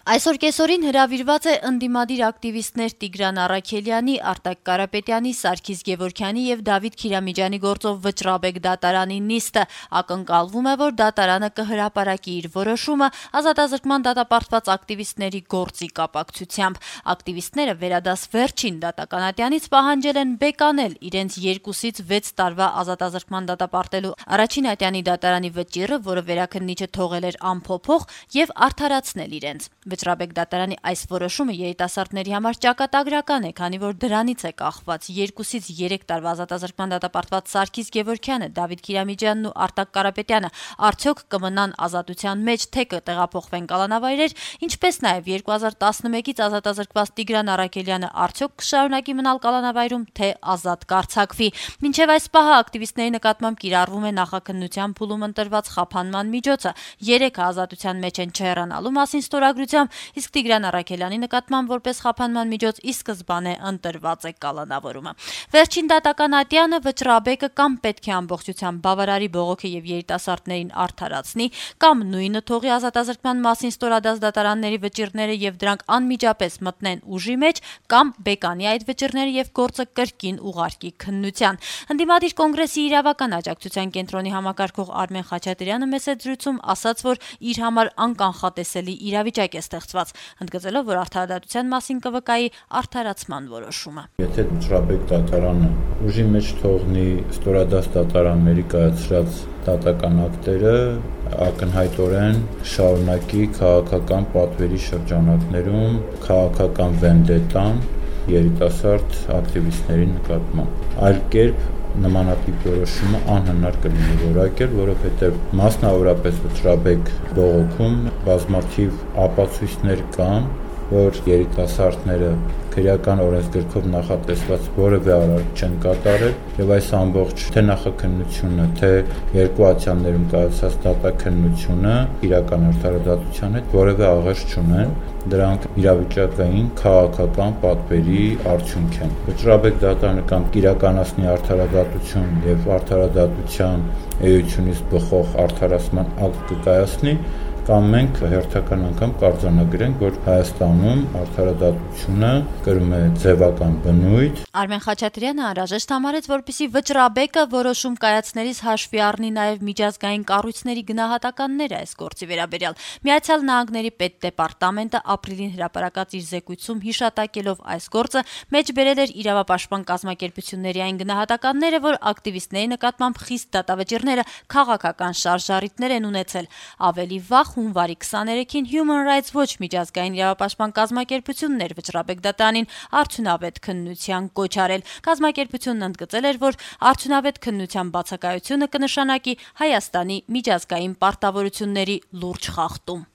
Այսօր կեսօրին հրավիրված է ընդդիմադիր ակտիվիստներ Տիգրան Առաքելյանի, Արտակ Կարապետյանի, Սարգիս Գևորգյանի եւ Դավիթ Քիրամիջյանի գործով Վճռաբեկ դատարանի նիստը։ Ակնկալվում է, որ դատարանը կհրապարակի իր որոշումը ազատազրկման դատապարտված ակտիվիստների գործի կապակցությամբ։ Ակտիվիստները վերադաս վերջին դատականատյանից պահանջել են բեկանել իրենց 2-ից 6 տարվա ազատազրկման դատապարտելու առաջին ատյանի դատարանի վճիռը, որը վերաքննիչը թողել էր անփոփոխ, եւ արդարացնել իրենց։ Վճռաբեկ դատարանի այս որոշումը երիտասարդների համար ճակատագրական է, քանի որ դրանից է կախված 2-ից 3 տարվա ազատազրկման դատապարտված Սարգիս Գևորգյանը, Դավիթ Քիրամիջյանն ու Արտակ Կարապետյանը արդյոք կմնան ազատության մեջ, թե կտեղափոխվեն կալանավայրեր, ինչպես նաև 2011-ից ազատազրկված Տիգրան Առաքելյանը արդյոք կշարունակի մնալ կալանավայրում, թե ազատ կարձակվի։ Մինչև այս պահը ակտիվիստների նկատմամբ կիրառվում է նախաքննության փուլում ընտրված խափանման միջոցը։ 3-ը ազատության մեջ են չհեռանալու մասին ստորագրությամբ, իսկ Տիգրան Առաքելյանի նկատմամբ որպես խափանման միջոց ի սկզբանե ընտրված է կալանավորումը։ Վերջին դատական ատյանը Վճռաբեկը կամ պետք է ամբողջությամբ բավարարի բողոքը եւ երիտասարդներին արդարացնի, կամ նույնը թողի ազատազրկման մասին ստորադաս դատարանների վճիռները եւ դրանք անմիջապես մտնեն ուժի մեջ, կամ բեկանի այդ վճիռները եւ գործը կրկին ուղարկի քննության։ Ընդդիմադիր կոնգրեսի իրավական աջակցության կենտրոնի համակարգող Արմեն Խաչատրյանը մեծ զրույցում ասաց, որ իր համար անկանխատեսելի իրավիճակ է ստեղծված, ընդգծելով, որ արդարադատության մասին կվկայի արդարացման որոշումը։ Եթե Վճռաբեկ դատարանը ուժի մեջ թողնի ստորադաս դատարանների կայացրած դատական ակտերը, ակնհայտորեն շարունակի քաղաքական պատվերի շրջանակներում քաղաքական վենդետան երիտասարդ ակտիվիստների նկատմամբ։ Այլ կերպ նմանատիպ որոշումը անհնար կլինի որակել, որովհետև մասնավորապես Վճռաբեկ բողոքում բազմաթիվ ապացույցներ կան, որ երիտասարդները քրեական օրենսգրքով նախատեսված որևէ արարք չեն կատարել, եւ այս ամբողջ թե նախաքննությունը, թե երկու ատյաններում կայացած դատաքննությունը իրական արդարադատության հետ որևէ աղերս չունեն, դրանք իրավիճակային քաղաքական պատվերի արդյունք են։ Վճռաբեկ դատարանը կամ կիրականացնի արդարադատություն եւ արդարադատության էությունից բխող արդարացման ակտ կկայացնի, կամ մենք հերթական անգամ կարձանագրենք, որ Հայաստանում արդարադատությունը կրում է ձևական բնույթ։ Արմեն Խաչատրյանը անհրաժեշտ համարեց, որպեսզի Վճռաբեկը որոշում կայացնելիս հաշվի առնի նաև միջազգային կառույցների գնահատականները այս գործի վերաբերյալ։ Միացյալ Նահանգների պետդեպարտամենտը ապրիլին հրապարակած իր զեկույցում հիշատակելով այս գործը մեջ բերել էր իրավապաշտպան կազմակերպությունների այն գնահատականները, որ ակտիվիստների նկատմամբ խիստ դատավճիռները քաղաքական շարժառիթներ են ունեցել։ Ավելի վաղ հունվարի 23-ին Human Rights Watch միջազգային իրավապաշտպան կազմակերպությունն էր Վճռաբեկ դատարանին արդյունավետ քննության կոչ արել։ Կազմակերպությունն ընդգծել էր, որ արդյունավետ քննության բացակայությունը կնշանակի Հայաստանի միջազգային պարտավորությունների լուրջ խախտում։